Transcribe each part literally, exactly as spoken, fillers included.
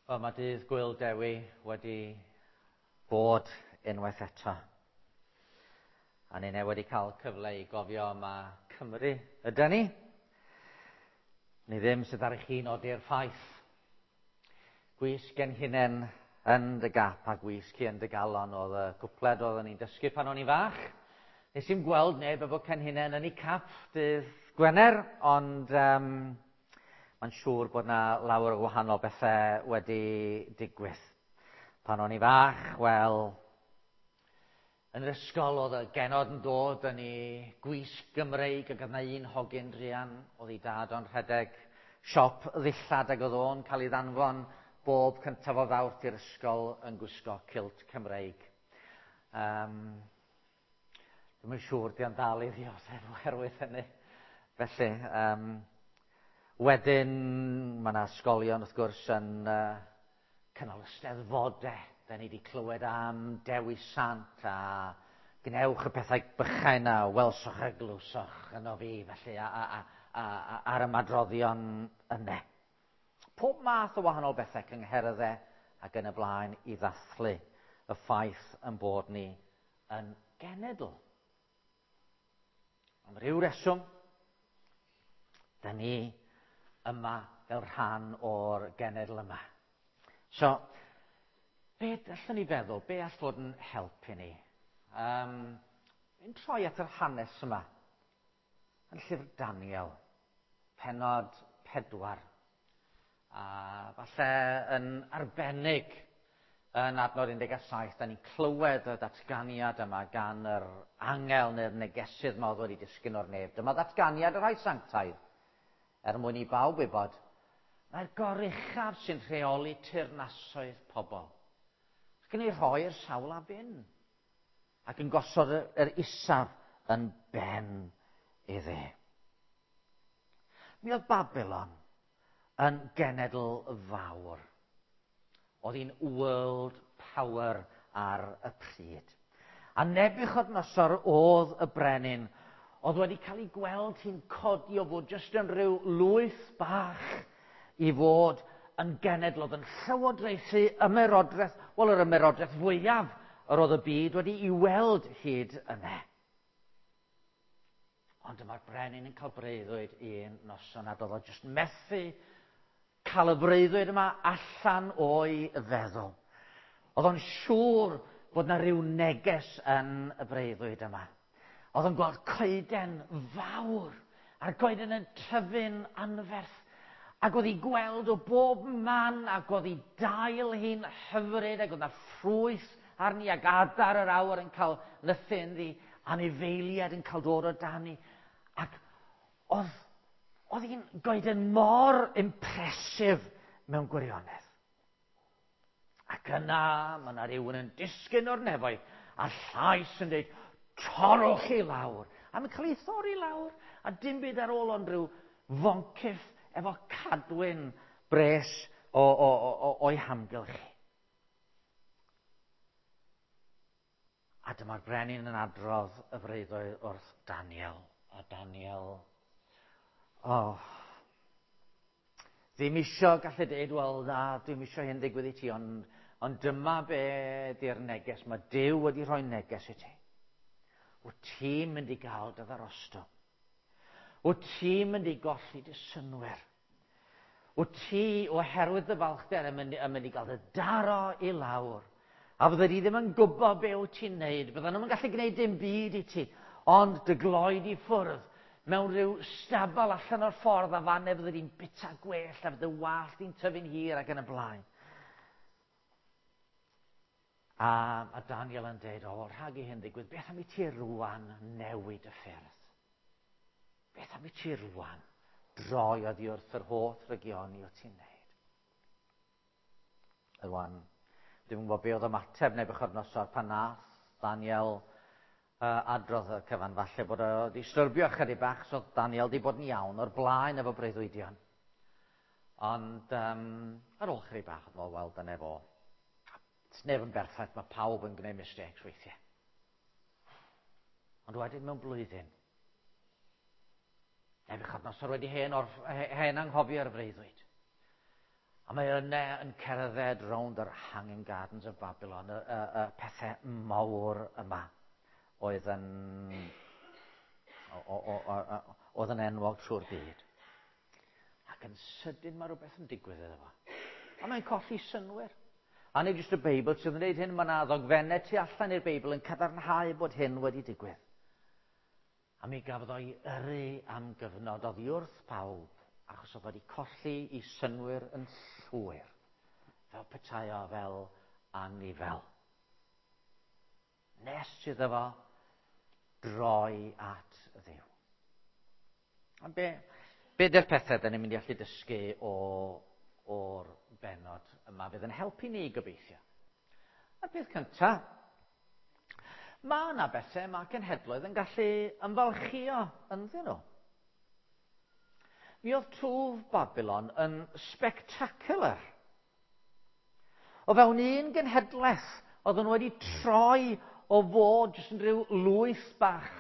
Wel, mae dydd Gwyl Dewi wedi bod unwaith eto. A ni wedi cael cyfle i gofio yma Cymru, ydy ni? Ni ddim sydd ar eich chi nodi'r ffaith. Gwisg genhinen yn dy gap a gwisg hi yn dy galon oedd y cwpled oedden ni'n dysgu pan o'n i'n fach. Nes i'n gweld neb efo cenhinen yn ei cap dydd Gwener, ond um, mae'n siŵr bod yna lawer o wahanol bethau wedi digwydd. Pan o'n i fach, wel, yn yr ysgol oedd y genod yn dod yn ei gwisg Gymreig ac oedd yna un hogyn druan oedd ei dad o'n rhedeg siop ddillad ac oedd o'n cael ei ddanfon bob cyntaf o Fawrth i'r ysgol yn gwisgo kilt Cymreig. Um, Dwi'm yn siŵr di o'n dal i ddioddef oherwydd hynny. Felly, um, wedyn, mae yna ysgolion wrth gwrs yn uh, cynnal ysteddfodau. Da ni wedi clywed am Dewi Sant a gwnewch y pethau bychain a welsoch a glywsoch yno fi, felly, a, a, a, a, a, ar ymadroddion yna. Pob math o wahanol bethau cyngherddau ac yn y blaen i ddathlu y ffaith yn bod ni yn genedl. Am ryw reswm, da ni yma fel rhan o'r genedl yma. So, be allwn ni feddwl, be all fod yn helpu ni? Um, Fi'n troi at yr hanes yma, yn llyfr Daniel, pennod pedwar. A falle yn arbennig yn adnod un deg saith, da ni'n clywed y datganiad yma gan yr angel neu'r negesydd yma oedd wedi disgyn o'r nef. Dyma ddatganiad y rhai sanctaidd, er mwyn i bawb wybod, mae'r goruchaf sy'n rheoli teyrnasoedd pobl. Ac yn ei rhoi i'r sawl a fyn, ac yn gosod yr isaf yn ben iddi. Mi oedd Babylon yn genedl fawr. Oedd hi'n world power ar y pryd. A Nebuchadnezzar oedd y brenin oedd wedi cael ei gweld hi'n codi o fod jyst yn rhyw lwyth bach i fod yn genedl oedd yn llywodraethu ymerodraeth, wel yr ymerodraeth fwyaf yr oedd y byd wedi i weld hyd yna. Ond dyma'r brenin yn cael breuddwyd un noson a doedd o jyst methu cael y breuddwyd yma allan o'i feddwl. Oedd o'n siŵr bod yna rhyw neges yn y breuddwyd yma. Oedd o'n gweld coeden fawr, a'r coeden yn tyfu'n anferth. Ac oedd hi gweld o bob man, ac oedd hi dail hi'n hyfryd, ac oedd yna ffrwyth arni, ac adar yr awyr yn cael nythu ynddi, anifeiliaid yn cael dod o dani. Ac oedd, oedd hi'n goeden mor impressive mewn gwirionedd. Ac yna, mae yna rhywun yn disgyn o'r nefoedd, a llais yn dweud, torrwch i lawr. A mae'n cael ei thorri lawr, a dim byd ar ôl ond rhyw foncyff efo cadwyn bres o, o, o, o'i hamgylch. A dyma'r brenin yn adrodd y freuddwyd wrth Daniel. A Daniel, oh, ddim isio gallu dweud, wel na, ddim isio hyn ddigwydd i ti, ond, ond dyma be di'r neges. Mae Duw wedi rhoi neges i ti. Wyt ti'n mynd i gael dy ddarostwng. Wyt ti'n mynd i golli dy synnwyr. Wyt ti, oherwydd dy falchder, yn mynd, yn mynd i gael dy daro i lawr. A fydde di ddim yn gwybod be wyt ti'n neud. Bydden nhw'n gallu gwneud dim byd i ti, ond dy gloed i ffwrdd mewn rhyw stabal allan o'r ffordd a fan fydde di'n bita gwell a fydde wallt di'n tyfu'n hir ac yn y blaen. A, a Daniel yn dweud, o, rhag i hyn ddigwydd, beth am i ti rwan newid y ffyrdd? Beth am i ti rwan droi oddi wrth yr holl rygioni o ti'n neud? Rwan, dwi'm yn gwybod be oedd ymateb Nebuchadnezzar pan nath Daniel uh, adrodd y cyfan, falle bod o wedi styrbio chydig bach, so Daniel wedi bod yn iawn o'r blaen efo breuddwydion. Ond um, ar ôl chydig bach, oedd o, wel, dyna fo. Neb yn berffaith, mae pawb yn gwneud mistakes weithiau. Ond wedyn mewn blwyddyn, Nebuchadnezzar wedi hen, orff, hen anghofio ar y freuddwyd. A mae yna yn cerdded rownd yr Hanging Gardens of Babylon, y, y, y pethau mawr yma oedd yn, o, o, o, o, oedd yn enwog trwy'r byd. Ac yn sydyn mae rhywbeth yn digwydd iddo fo. A mae'n colli synnwyr. A nid jyst y Beibl sydd yn gwneud hyn, mae yna ddogfennau tu allan i'r Beibl yn cadarnhau bod hyn wedi digwydd. A mi gafodd o'i yrru am gyfnod oddi wrth pawb, achos oedd wedi colli ei synnwyr yn llwyr, fel petai o fel anifel. Nes iddo fo droi at Dduw. A be, be 'di'r pethau da ni'n mynd i allu dysgu o, o'r bennod yma fydd yn helpu ni gobeithio? A'r peth cyntaf, mae yna bethau mae cenhedloedd yn gallu ymfalchio ynddyn nhw. Mi oedd twf Babylon yn spectacular. O fewn un genhedlaeth, oedden nhw wedi troi o fod jyst yn rhyw lwyth bach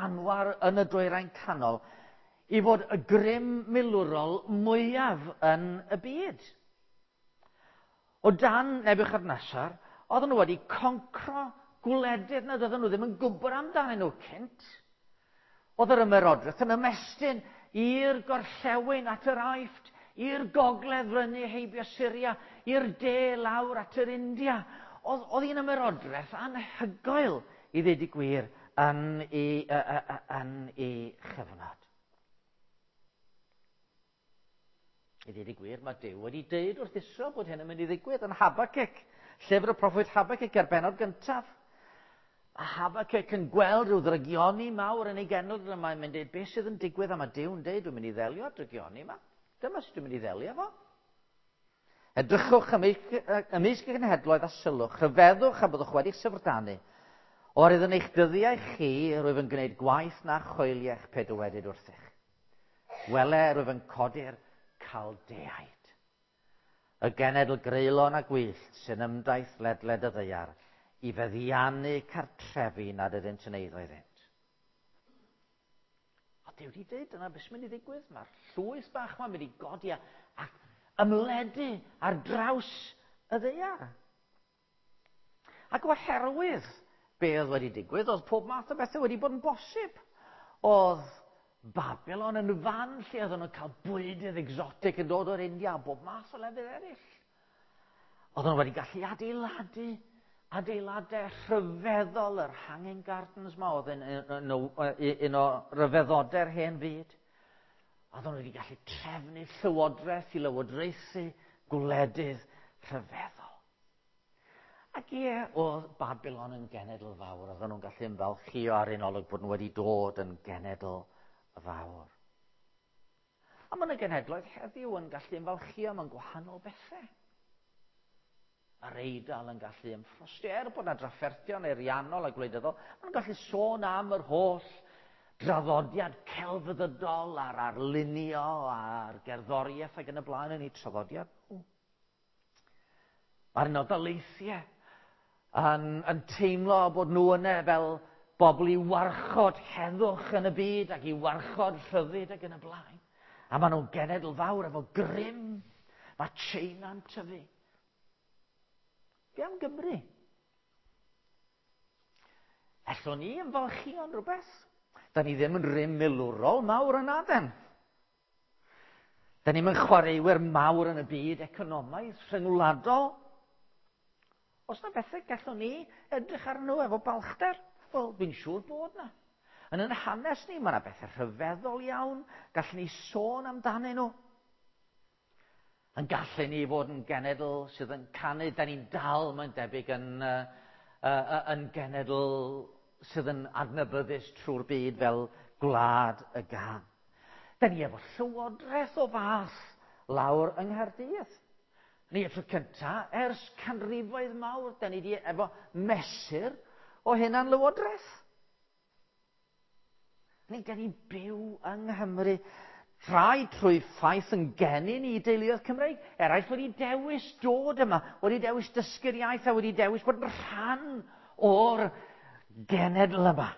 anwar yn y dwyrain canol i fod y grym milwrol mwyaf yn y byd. O dan Nebuchadnezzar, oedden nhw wedi concro gwledydd nad oedden nhw ddim yn gwybod amdanyn nhw cynt. Oedd yr ymerodraeth yn ymestyn i'r gorllewin at yr Aifft, i'r gogledd fyny heibio Syria, i'r de lawr at yr India. Oedd, oedd hi'n ymerodraeth anhygoel i ddweud y gwir yn ei, yn ei chyfnod. I ddweud y gwir, mae Duw wedi deud wrth Israel bod hyn yn mynd i ddigwydd yn Habacuc, llyfr y proffwyd Habacuc ar bennod gyntaf. A Habacuc yn gweld rhyw ddrygioni mawr yn ei genedl, a mae'n mynd i dweud, beth sydd yn digwydd? A mae Duw'n deud, dwi'n mynd i ddelio â'r drygioni yma. Dyma sut dwi'n mynd i ddelio fo. Edrychwch ymysg y genhedloedd a sylwch, rhyfeddwch a byddwch wedi'ch syfrdanu. Oherwydd yn eich dyddiau chi, rwyf yn gwneud gwaith na choeliech pe dywedyd wrthych. Wele, rwyf yn codi'r Caldeaid, y genedl greulon a gwyllt sy'n ymdaith ledled y ddaear i feddiannu cartrefi nad ydynt yn eiddo iddynt. A Duw wedi dweud dyna beth sy'n mynd i ddigwydd. Mae'r llwyth bach ma'n mynd i godi a, ac ymledu ar draws y ddaear. Ac oherwydd be oedd wedi digwydd, oedd pob math o bethau wedi bod yn bosib. Oedd Babylon yn fan lle oedden nhw'n cael bwydydd exotic yn dod o'r India a bob math o lefydd eraill. Oedden nhw wedi gallu adeiladu adeiladau rhyfeddol, yr Hanging Gardens ma oedd yn un, un o ryfeddodau'r hen fyd. Oedden nhw wedi gallu trefnu llywodraeth i lywodraethu gwledydd rhyfeddol. Ac ie, oedd Babylon yn genedl fawr. Oedden nhw'n gallu ymfalchïo ar un olwg bod nhw wedi dod yn genedl fawr. A mae yna genhedloedd heddiw yn gallu ymfalchïo mewn gwahanol bethau. Mae'r Eidal yn gallu ymffrostio, er bod yna drafferthion ariannol a gwleidyddol, maen nhw'n gallu sôn am yr holl draddodiad celfyddydol a'r arlunio a'r gerddoriaeth ac yn y blaen yn eu traddodiad nhw. Mae'r Unol Daleithiau yn, yn teimlo bod nhw yna fel bobl i warchod heddwch yn y byd ac i warchod rhyddid ac yn y blaen. A maen nhw'n genedl fawr efo grym. Mae China'n tyfu. Be am Gymru? Ellwn ni ymfalchïo'n rhywbeth? Da ni ddim yn rym milwrol mawr yn aden. Da ni'm yn chwaraewyr mawr yn y byd economaidd rhyngwladol. Oes na bethau gallwn ni edrych arnyn nhw efo balchder? Wel, fi'n siŵr bod na. Yn yn hanes ni, mae yna bethau rhyfeddol iawn. Gallwn ni sôn amdanyn nhw. Yn gallu ni fod yn genedl sydd yn canu, da ni'n dal, mae'n debyg, yn, uh, uh, yn genedl sydd yn adnabyddus trwy'r byd fel gwlad y gân. Da ni efo llywodraeth o fath lawr yng Nghaerdydd. Ni y tro cyntaf, ers canrifoedd mawr, da ni di efo mesur o hunan lywodraeth. Ni, da ni'n byw yng Nghymru. Rhai trwy ffaith yn geni ni i deuluoedd Cymreig. Eraill wedi dewis dod yma, wedi dewis dysgu'r iaith a wedi dewis bod yn rhan o'r genedl yma.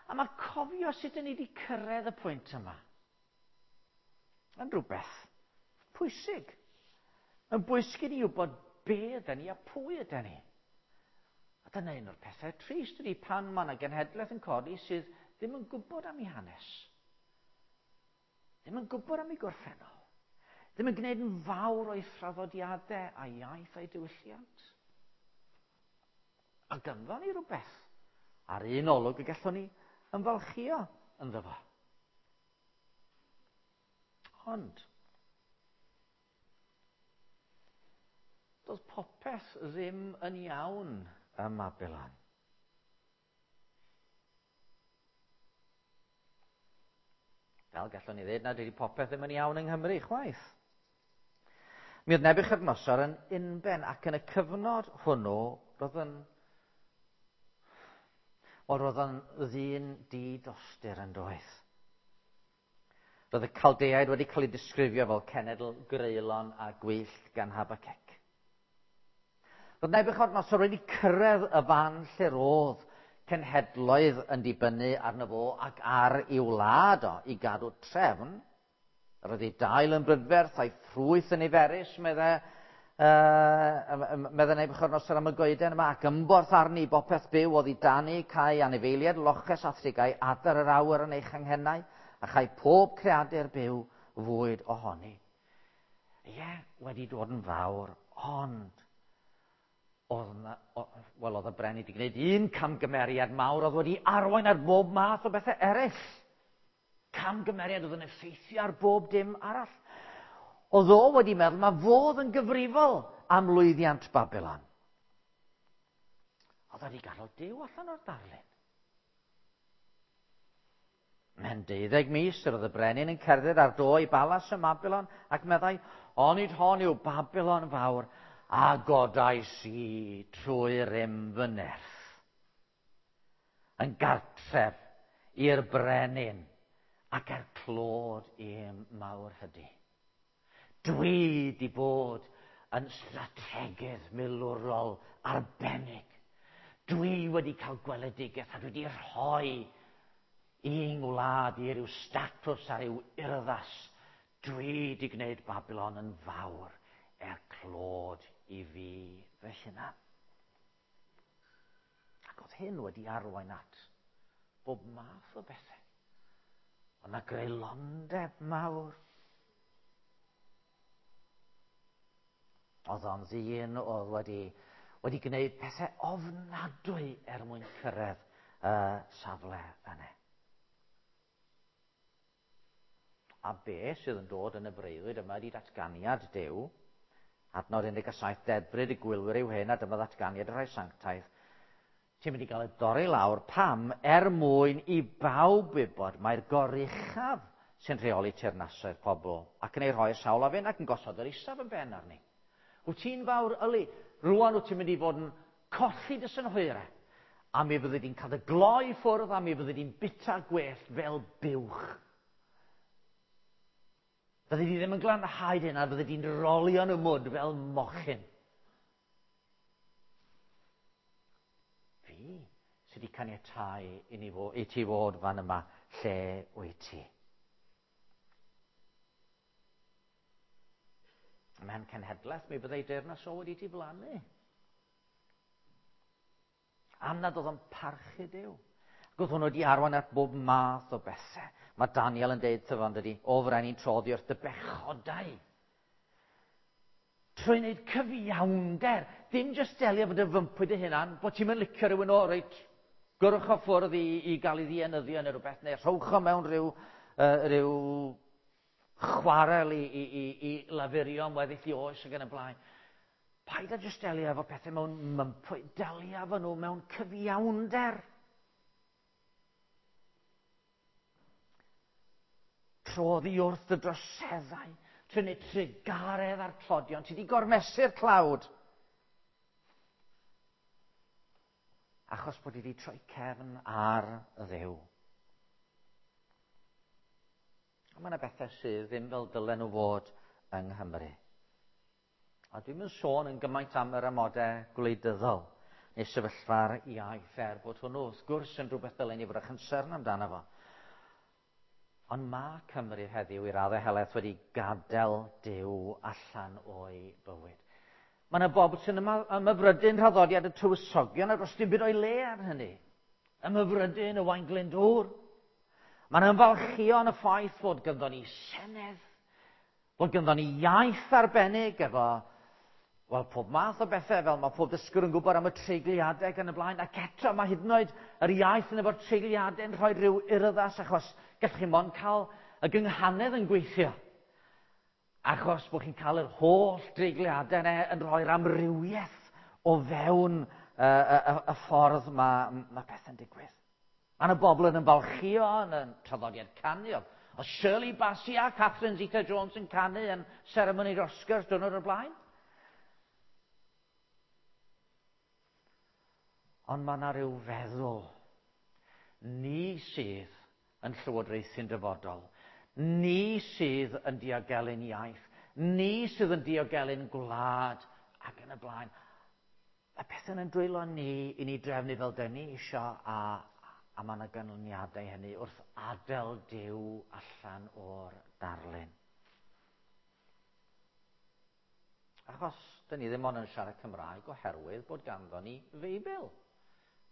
A mae cofio sut ni wedi cyrraedd y pwynt yma yn rhywbeth pwysig. Yn bwysig i ni wybod be ydyn ni a pwy ydyn ni. A dyna un o'r pethau trist ydy pan mae yna genhedlaeth yn codi sydd ddim yn gwybod am ei hanes. Ddim yn gwybod am ei gorffennol. Ddim yn gwneud yn fawr o'i thraddodiadau a'i iaith a'i diwylliant. A ganddo ni rhywbeth ar un olwg y gallwn ni ymfalchïo ynddo fo. Ond, doedd popeth ddim yn iawn ym Mabilon. Fel gallwn ni ddweud na dydy popeth ddim yn iawn yng Nghymru chwaith. Mi oedd Nebiwchodynosor yn unben ac yn y cyfnod hwnnw roedd yn wel, roedd yn ddyn di-dostur yn doedd. Roedd y Caldeaid wedi cael eu disgrifio fel cenedl greulon a gwyllt gan Habacuc. Roedd Nebiwchodynosor wedi cyrraedd y fan lle roedd cenhedloedd yn dibynnu arno fo ac ar ei wlad o i gadw trefn. Roedd ei dail yn brydferth a'i ffrwyth yn niferus, meddai, uh, meddai Nebiwchodynosor am y goeden yma, ac ymborth arni bopeth byw oedd i dani, cae anifeiliaid, loches a thrigau, adar yr awyr yn ei changhennau, a chai pob creadur byw fwyd ohoni. Ie, wedi dod yn fawr, ond oedd na, wel, oedd y brenin wedi gwneud un camgymeriad mawr oedd wedi arwain ar bob math o bethau eraill. Camgymeriad oedd yn effeithio ar bob dim arall. Oedd o wedi meddwl mae fodd yn gyfrifol am lwyddiant Babilon. Oedd wedi gadael Duw allan o'r darlun. Mewn deuddeg mis yr oedd y brenin yn cerdded ar do i balas ym Mabilon ac meddai, onid hon yw Babilon fawr, a godais i trwy rym fy nerth. Yn gartref i'r brenin ac er clod i'm mawr hydi. Dwi di bod yn strategydd milwrol arbennig. Dwi wedi cael gweledigaeth a dwi wedi rhoi i'n ngwlad i ryw statws a ryw urddas. Dwi wedi gwneud Babilon yn fawr er clod i fi fy hunan. Ac oedd hyn wedi arwain at bob math o bethau. Oedd yna greulondeb mawr. Oedd o'n ddyn oedd wedi, wedi gwneud pethau ofnadwy er mwyn cyrraedd y safle yna. A be sydd yn dod yn y breuddwyd yma ydy datganiad Duw. Adnod un deg saith, dedfryd y gwylwyr yw hyn, a dyma ddatganiad y rhai sanctaidd. Ti'n mynd i gael ei dorri lawr pam er mwyn i bawb wybod mae'r goruchaf sy'n rheoli teyrnasoedd pobl ac yn ei rhoi sawl a fyn ac yn gosod yr isaf yn ben arni. Wyt ti'n fawr yli, rwan wyt ti'n mynd i fod yn colli dy synhwyrau, a mi fyddi di'n cael dy gloi ffwrdd a mi fyddi di'n bita gwellt fel buwch. Fyddi di ddim yn glanhau dy hunan, fyddi di'n rolio yn y mwd fel mochyn. Fi sydd wedi caniatáu i, ni fo, i ti fod fan yma lle wyt ti. Mewn cenhedlaeth mi fyddai deyrnas o wedi diflannu. Am nad oedd o'n parchu Duw. Ac oedd hwn wedi arwain at bob math o bethau. Mae Daniel yn deud tyfo, dydy, o frenin troddi wrth dy bechodau. Trwy wneud cyfiawnder, dim jyst delio fod y fympwy dy hunan, bod ti'n mynd licio rhywun o, reit, gyrwch o ffwrdd i, i gael ei ddienyddio neu rhywbeth, neu rhowch o mewn rhyw, uh, rhyw chwarel i, i, i, i lafurio am weddill i oes ac yn y blaen. Paid â jyst delio efo pethau mewn mympwy, delio efo nhw mewn cyfiawnder. Troddi wrth y droseddau, trwy wneud trugaredd a'r tlodion, ti wedi gormesu'r tlawd. Achos bod wedi troi cefn ar y Dduw. A mae yna bethau sydd ddim fel dylen nhw fod yng Nghymru. A dwi'm yn sôn yn gymaint am yr amodau gwleidyddol neu sefyllfa'r iaith, er bod hwnnw wrth gwrs yn rhywbeth dylen ni fod â chynsern amdano fo. Ond mae Cymru heddiw i raddau helaeth wedi gadael Duw allan o'i bywyd. Mae yna bobl sy'n ymhyfrydu'n nhraddodiad y tywysogion a does dim byd o'i le ar hynny. Ymhyfrydu'n Owain Glyndŵr. Mae'n ymfalchio yn y ffaith fod ganddo ni senedd, fod ganddo ni iaith arbennig efo, wel, pob math o bethau, fel mae pob dysgwr yn gwybod am y treigliadau ac yn y blaen, ac eto mae hyd yn oed yr iaith yn efo'r treigliadau yn rhoi rhyw urddas, achos gallwch chi mond cael y gynghanedd yn gweithio. Achos bod chi'n cael yr holl dreigliadau yna yn rhoi'r amrywiaeth o fewn y, y, y, y ffordd mae, mae pethau'n digwydd. Mae yna bobl yn ymfalchio yn y traddodiad canu. Oedd Shirley Bassey a Catherine Zeta-Jones yn canu yn seremoni'r Oscars diwrnod o'r blaen. Ond mae yna rhyw feddwl. Ni sydd yn llywodraethu'n dyfodol. Ni sydd yn diogelu'n iaith. Ni sydd yn diogelu'n gwlad ac yn y blaen. Y pethau yn dwylo ni i ni drefnu fel dyn ni isio, a A mae yna ganlyniadau hynny wrth adael Duw allan o'r darlun. Achos, dyn ni ddim ond yn siarad Cymraeg oherwydd bod ganddo ni Feibl.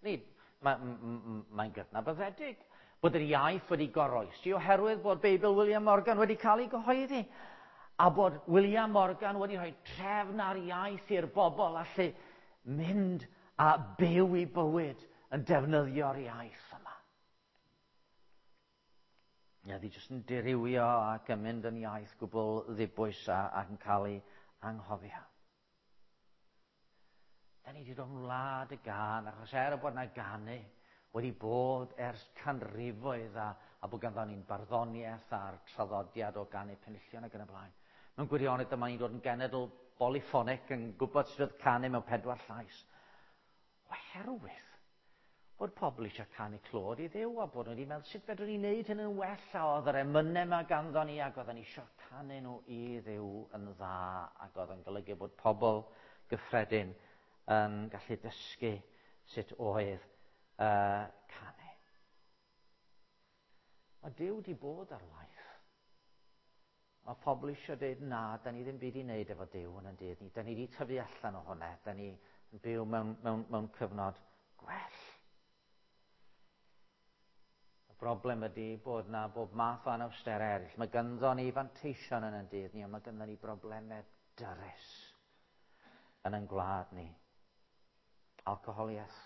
Ni, mae'n mae gydnabyddedig bod yr iaith wedi goroesi oherwydd bod Beibl William Morgan wedi cael ei gyhoeddi. A bod William Morgan wedi rhoi trefn ar iaith i'r bobl allu mynd a byw i bywyd yn defnyddio'r iaith yma. Ia, ddi jyst yn dirywio ac yn mynd yn iaith gwbl ddibwys a, ac yn cael ei anghofio. Da ni wedi dod yn wlad y gân, achos er bod yna ganu wedi bod ers canrifoedd a, a bod ganddo ni'n barddoniaeth a'r traddodiad o ganu penillion ac yn y blaen. Mewn gwirionedd dyma ni'n dod yn genedl polyphonic yn gwybod sut oedd canu mewn pedwar llais. Oherwydd bod pobl eisiau canu clod i Dduw a bod nhw wedi meddwl sut fedrwn ni wneud hyn yn well, a oedd yr emynau yma ganddo ni ac oedden ni eisiau canu nhw i Dduw yn dda, ac oedd yn golygu bod pobl gyffredin yn gallu dysgu sut oedd uh, canu. Mae Duw wedi bod ar waith. Mae pobl eisiau dweud na, da ni ddim byd i wneud efo Duw yn y dydd ni. Da ni wedi tyfu allan o hwnna. Da ni yn byw mewn, mewn, mewn cyfnod gwell. Y broblem ydy bod na bob math o anawsterau eraill. Mae ganddo ni fanteision yn ein dydd ni, ond mae ganddo ni broblemau dyrys yn ein gwlad ni. Alcoholiaeth.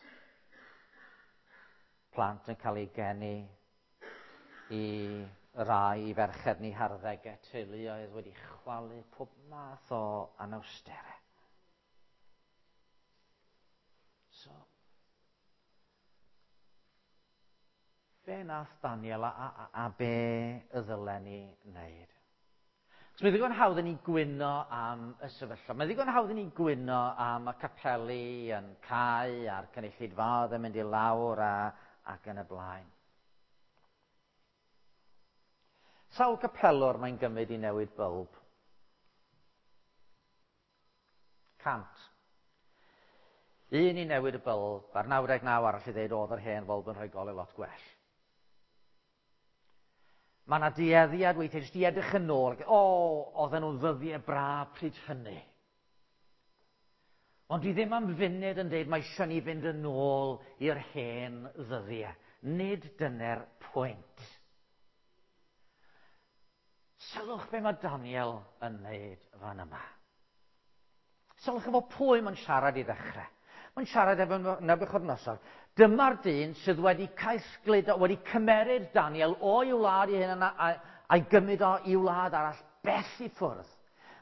Plant yn cael eu geni i rai i ferched ni harddegau, teuluoedd wedi chwalu, pob math o anawsterau. So, be nath Daniel a, a, a be y ddylen ni wneud? So, mae ddigon hawdd i ni gwyno am y sefyllfa. Mae ddigon hawdd i ni gwyno am y capeli yn cau a'r cynulleidfaoedd yn mynd i lawr a, ac yn y blaen. Sawl capelwr mae'n gymryd i newid bylb? Cant. Un i newid y bylb, a'r naw deg naw arall i ddeud oedd yr hen fylb yn rhoi golau lot gwell. Mae yna dueddiad weithiau jyst i edrych yn ôl, o, oedden nhw'n ddyddiau braf pryd hynny. Ond dwi ddim am funud yn dweud mae eisiau ni fynd yn ôl i'r hen ddyddiau. Nid dyna'r pwynt. Sylwch be mae Daniel yn wneud fan yma. Sylwch efo pwy mae'n siarad i ddechrau. Mae'n siarad efo Nebiwchodynosor. Dyma'r dyn sydd wedi caethgludo, wedi cymeryd Daniel o'i wlad ei hun a'i gymryd o i wlad arall bell i ffwrdd.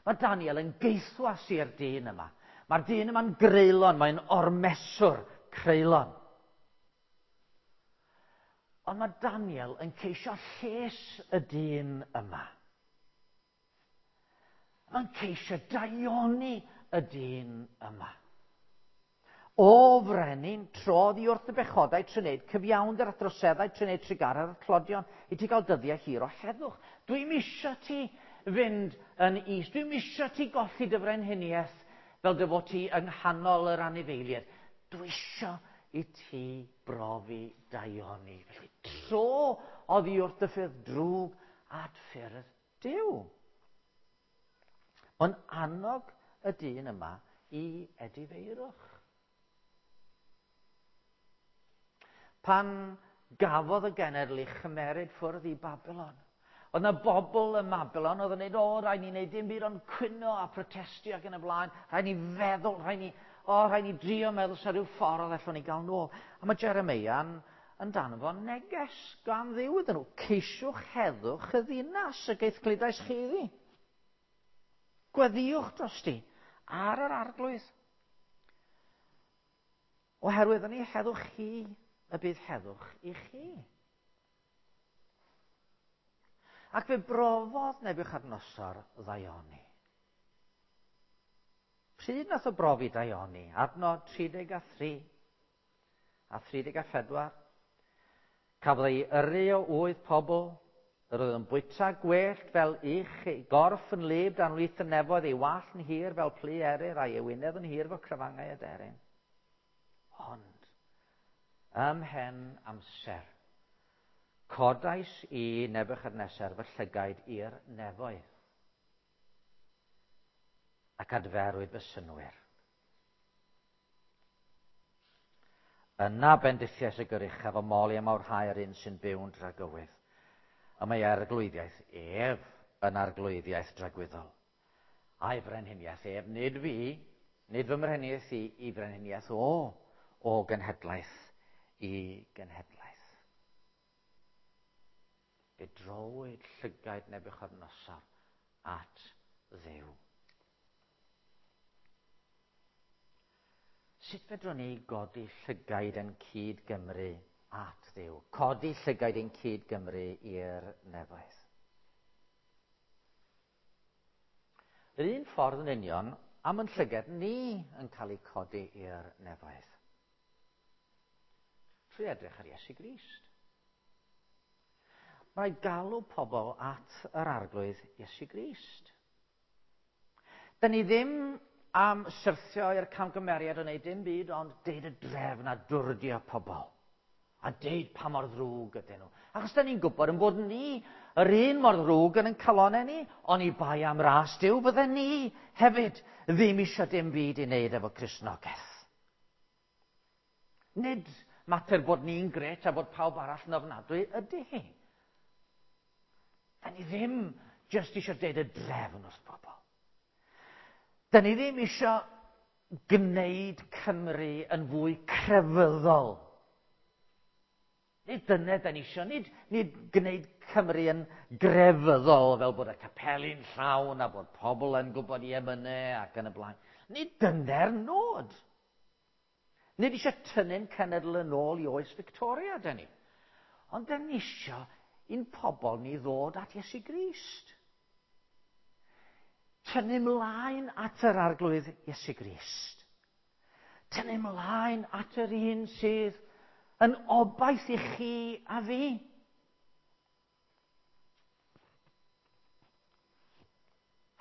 Mae Daniel yn geithwas i'r dyn yma. Mae'r dyn yma'n greulon, mae'n ormeswr creulon. Ond mae Daniel yn ceisio lles y dyn yma. Mae'n ceisio daioni y dyn yma. O frenin, trodd i wrth y bechodau trwy wneud cyfiawnder a droseddau trwy wneud trugaredd a'r tlodion i ti gael dyddiau hir o heddwch. Dwi'm isio ti fynd yn is. Dwi'm isio ti golli dy frenhiniaeth fel dy fod ti yng nghanol yr anifeiliaid. Dwi isio i ti brofi daioni. Felly tro oddi wrth y ffyrdd drwg at ffyrdd Duw. Mae'n annog y dyn yma i edifeirwch. Pan gafodd y genedl ei chymeryd ffwrdd i Babylon, oedd yna bobl ym Mabilon oedd yn dweud, o, rhaid ni wneud dim byd ond cwyno a protestio ac yn y blaen, rhaid ni feddwl, rhaid ni, o, rhaid ni drio meddwl sa rhyw ffordd allwn ni gael nôl. A mae Jeremeia'n yn danfon neges gan Dduw iddyn nhw. Ceisiwch heddwch y ddinas y geithgludais chi iddi. Gweddïwch drosti ar yr arglwydd. Oherwydd yn ei heddwch chi y bydd heddwch i chi. Ac fe brofodd Nebiwchadnosor ddaioni. Pryd nath o brofi daioni? Adnod tri deg a thri a thri deg a phedwar. Cafodd ei yrru o wyth pobl, yr oedd yn bwyta gwellt fel ych, ei gorff yn wlyb dan wlith y nefoedd, ei wallt yn hir fel plu eryr, a'i ewinedd yn hir fel crafangau aderyn. Ond, ymhen amser, codais i Nebiwchadnesar fy llygaid i'r nefoedd, ac adferwyd fy synnwyr. Yna bendithiais y Goruchaf a moli a mawrhau yr un sy'n byw'n dragywydd. A mae arglwyddiaeth ef yn arglwyddiaeth dragwyddol. A'i frenhiniaeth ef, nid fi, nid fy mrenhiniaeth i, i frenhiniaeth o, o genhedlaeth i genhedlaeth. Fe drowyd llygaid Nebiwchadnosar at Dduw. Sut fedrwn ni godi llygaid yn cyd Gymru at Dduw? Codi llygaid yn cyd Gymru i'r nefoedd. Yr un ffordd yn union am yn llygad ni yn cael ei codi i'r nefoedd. Trwy edrych ar Iesu Grist. Mae rhaid galw pobl at yr arglwydd Iesu Grist. Da ni ddim am syrthio i'r camgymeriad o wneud dim byd ond deud y drefn a dwrdio pobl. A deud pa mor ddrwg ydyn nhw. Achos da ni'n gwybod yn bod ni yr un mor ddrwg yn ein calonnau ni, ond i bai am ras Duw bydden ni hefyd ddim eisiau dim byd i wneud efo Cristnogaeth. Nid mater bod ni'n gret a bod pawb arall yn ofnadwy ydy hi. Da ni ddim jyst eisiau deud y drefn wrth bobl. Da ni ddim eisiau gwneud Cymru yn fwy crefyddol. Nid dyna da ni eisiau, nid, nid gwneud Cymru yn grefyddol fel bod y capeli'n llawn a bod pobl yn gwybod i emynau ac yn y blaen. Nid dyna'r nod. Nid eisiau tynnu'n cenedl yn ôl i oes Victoria, da ni. Ond da ni eisiau i'n pobl ni ddod at Iesu Grist. Tynnu mlaen at yr arglwydd Iesu Grist. Tynnu mlaen at yr un sydd yn obaith i chi a fi.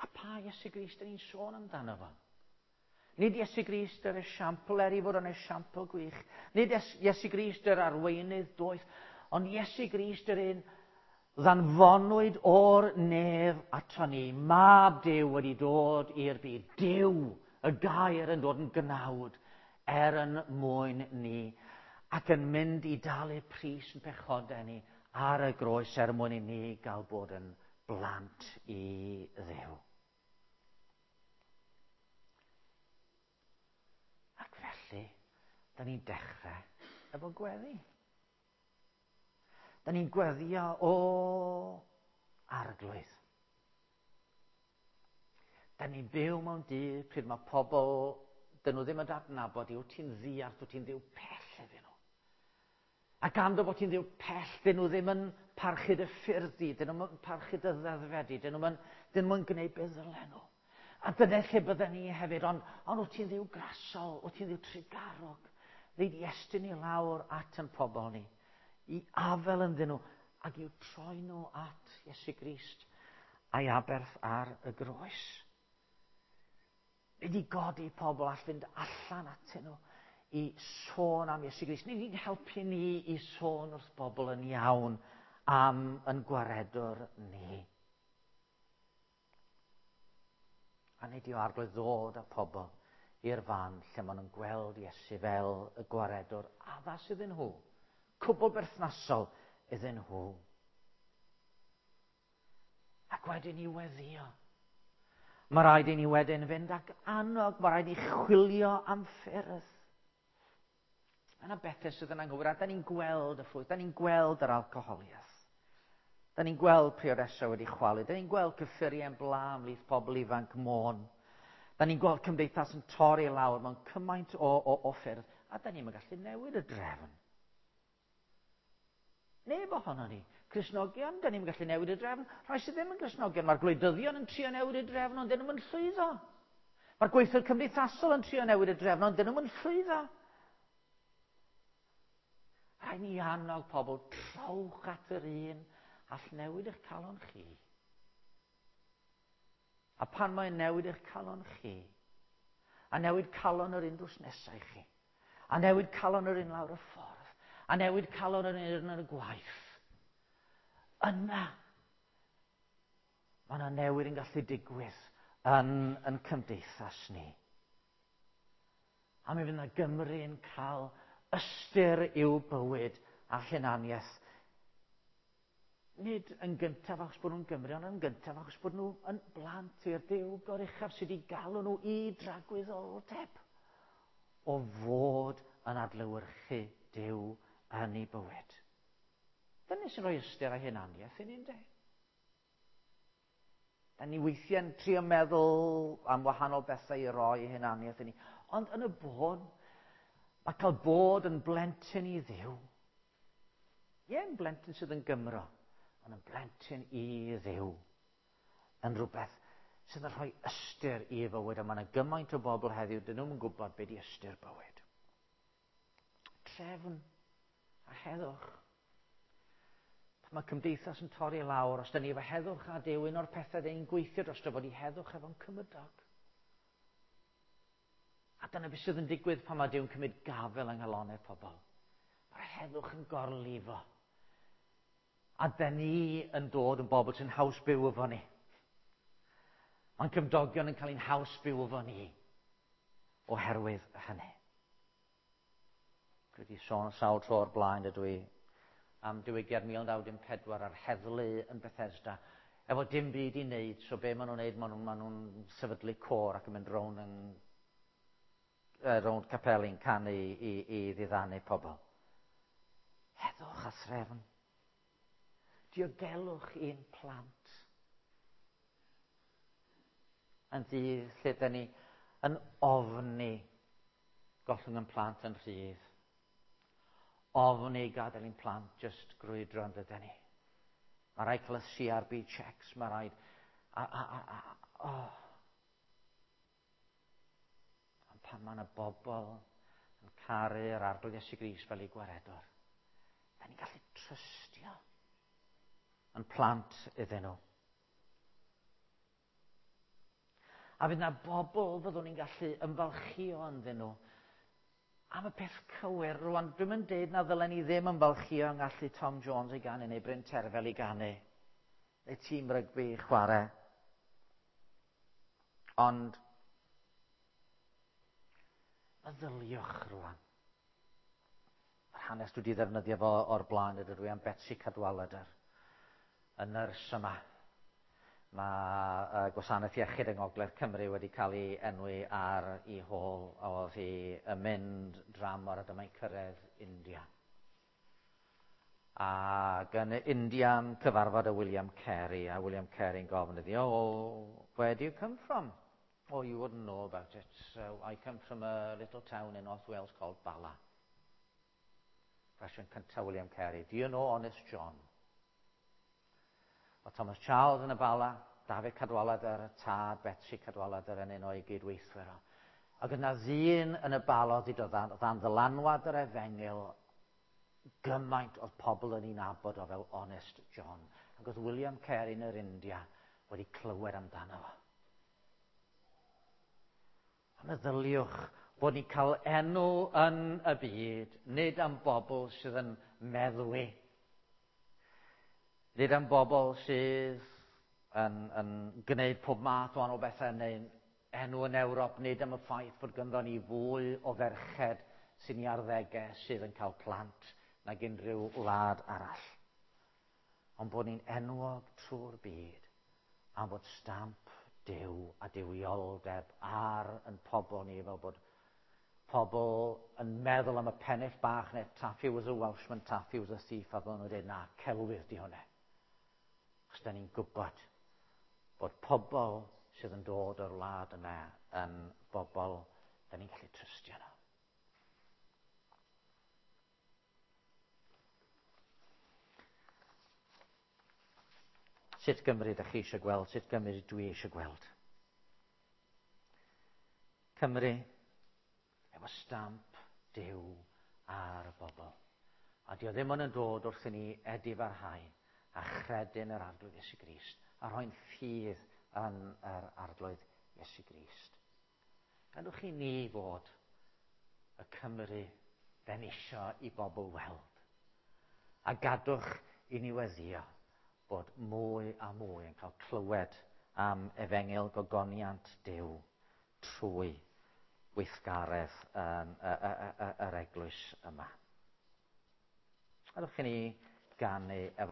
A pa Iesu Grist yn ni'n sôn amdano fo? Nid Iesu Grist yr esiampl, er i fod yn esiampl gwych. Nid Iesu Grist yr arweinydd doeth, ond Iesu Grist yr un ddanfonwyd o'r nef ato ni. Mab Duw wedi dod i'r byd. Duw, y gair yn dod yn gnawd er yn mwyn ni ac yn mynd i dalu pris yn pechodau ni ar y groes er mwyn i ni gael bod yn blant i Dduw. Ac felly, da ni'n dechrau efo gweddi. Da ni'n gweddio o arglwydd. Da ni'n byw mewn dydd pryd mae pobl, dyn nhw ddim yn adnabod i, wyt ti'n ddiarth, wyt ti'n ddiw pell iddyn nhw. A gan dy bod ti'n ddiw pell, dyn nhw ddim yn parchu dy ffyrdd di, dyn nhw'n parchu dy ddeddfau di, dyn nhw'n dyn nhw'n gwneud beth ddylen nhw. A dyna lle bydden ni hefyd, ond, ond wyt ti'n ddiw grasol, wyt ti'n ddiw trugarog. Ddeud i estyn i lawr at yn pobl ni, i afel ynddyn nhw, ac i'w troi nhw at Iesu Grist a'i aberth ar y groes. Nid i godi pobl all fynd allan atyn nhw i sôn am Iesu Grist. Nid i'n helpu ni i sôn wrth bobl yn iawn am yn gwaredwr ni. A nid yw Arglwydd ddod â pobl i'r fan lle maen nhw'n gweld Iesu fel y gwaredwr addas iddyn nhw, cwbl berthnasol iddyn nhw. Ac wedyn i weddio. Mae rhaid i ni wedyn fynd ac annog, mae rhaid i chwilio am ffyrdd. Mae yna bethau sydd yn anghywir, a da ni'n gweld y ffrwyth, da ni'n gweld yr alcoholiaeth. Da ni'n gweld priodesau wedi chwalu, da ni'n gweld cyffuriau'n bla ymhlith pobl ifanc Môn. Da ni'n gweld cymdeithas yn torri lawr mewn cymaint o, o, o ffyrdd, a da ni'n gallu newid y drefn. Neb ohono ni. Cristnogion, da ni'n gallu newid y drefn. Rhai sydd ddim yn Gristnogion, mae'r gwleidyddion yn trio newid y drefn, ond dyn nhw'n llwyddo. Mae'r gweithwyr cymdeithasol yn trio newid y drefn, ond dyn nhw'n llwyddo. Rhaid ni annog pobl, trowch at yr un all newid eich calon chi. A pan mae'n newid eich calon chi, a newid calon yr un drws nesau i chi, a newid calon yr un lawr y ffordd, a newid calon yr un yn y gwaith, yna mae yna newid yn gallu digwydd yn, yn cymdeithas ni. A mi fydd yna Gymru yn cael ystyr i'w bywyd a hunaniaeth. Nid yn gyntaf achos bod nhw'n Gymru, ond yn gyntaf achos bod nhw yn blant i'r Duw goruchaf sydd wedi galw nhw i dragwyddoldeb o fod yn adlewyrchu Duw yn ei bywyd. Dyna sy'n rhoi ystyr a hunaniaeth i ni, ynde? Da ni weithiau'n trio meddwl am wahanol bethau i roi hunaniaeth i ni. Ond yn y bôn, mae cael bod yn blentyn i Dduw. Ie, yn blentyn sydd yn Gymro, ond yn blentyn i Dduw. Yn rhywbeth sydd yn rhoi ystyr i fywyd. A mae yna gymaint o bobl heddiw, dyn nhw'n gwybod beth di ystyr bywyd. Trefn a heddwch. Pan mae cymdeithas yn torri lawr, os da ni efo heddwch a Duw, un o'r pethau da ni'n gweithio dros fod i heddwch efo'n cymydog. A dyna beth sydd yn digwydd pan mae Duw'n cymryd gafel yng nghalonnau pobl. Mae'r heddwch yn gorlifo. A da ni yn dod yn bobl sy'n haws byw efo ni. Mae'n cymdogion yn cael ein haws byw efo ni oherwydd hynny. Dwi wedi sôn sawl tro o'r blaen ydw i am diwygiad mil naw dim pedwar a'r heddlu yn Bethesda. Efo dim byd i wneud, so be maen nhw'n wneud, maen nhw'n ma nhw sefydlu côr ac yn mynd rownd yn rownd capeli'n canu i, i, i ddiddanu pobl. Heddwch a threfn. Diogelwch i'n plant. Yn ddydd lle da ni yn ofni gollwng yn plant yn rhydd. Ofni gadael i'n plant just grwydro yn dydyn ni. Mae rhaid cael y C R B checks, mae rhaid... A, a, a, a, oh. Ond pan mae yna bobl yn caru yr Arglwydd Iesu Grist fel ei gwaredwr, da ni'n gallu trystio yn plant iddyn nhw. A fydd yna bobl fyddwn ni'n gallu ymfalchio ynddyn nhw am y peth cywir. Rwan, dwi'm yn deud na ddylen ni ddim ymfalchio yng ngallu Tom Jones i ganu neu Bryn Terfel i ganu, neu tîm rygbi i chwarae. Ond meddyliwch rwan. Mae'r hanes dwi wedi ddefnyddio fo o'r blaen ydw i am Betsi Cadwaladr, y nyrs yma. Mae uh, gwasanaeth iechyd yng Ngogledd Cymru wedi cael ei enwi ar ei hôl oedd hi yn mynd dramor a dyma'n cyrraedd India. Ac yn India cyfarfod y William Carey, a William Carey'n gofyn iddi, oh, where do you come from? Oh, you wouldn't know about it. So I come from a little town in North Wales called Bala. Cwestiwn cyntaf William Carey, do you know Honest John? O Thomas Charles yn y Bala, David Cadwaladr, y tad Betsi Cadwaladr yn un o'i gydweithwyr o. Ac yna ddyn yn y Bala oedd wedi dod dan ddylanwad yr efengyl, gymaint oedd pobl yn ei nabod o fel Honest John. Ac oedd William Carey yn yr India wedi clywed amdano fo. A meddyliwch bod ni'n cael enw yn y byd, nid am bobl sydd yn meddwi, Nid am bobl sydd yn, yn gwneud pob math o wahanol bethau neu enw yn Ewrop, nid am y ffaith bod ganddo ni fwy o ferched sy'n ei arddegau sydd yn cael plant nag unrhyw wlad arall. Ond bod ni'n enwog trwy'r byd am fod stamp Duw a duwioldeb ar yn pobl ni, fel bod pobl yn meddwl am y pennill bach neu Taffy was a Welshman, Taffy was a thief, a fel nhw'n dweud, na, celwydd di hwnna. Achos da ni'n gwybod bod pobl sydd yn dod o'r wlad yna yn bobl da ni'n gallu trystio nhw. Sut Gymru ydych chi eisiau gweld? Sut Gymru dwi eisiau gweld? Cymru efo stamp Duw ar y bobl. A dio ddim ond yn dod wrth i ni edifarhau a chredu'n yr Arglwydd Iesu Grist a rhoi'n ffydd yn yr Arglwydd Iesu Grist. Gadwch i ni fod y Cymru den isio i bobl weld. A gadwch i ni weddio bod mwy a mwy yn cael clywed am efengyl gogoniant Duw trwy weithgaredd yn y, y, y, yr eglwys yma. Gadwch i ni ganu efo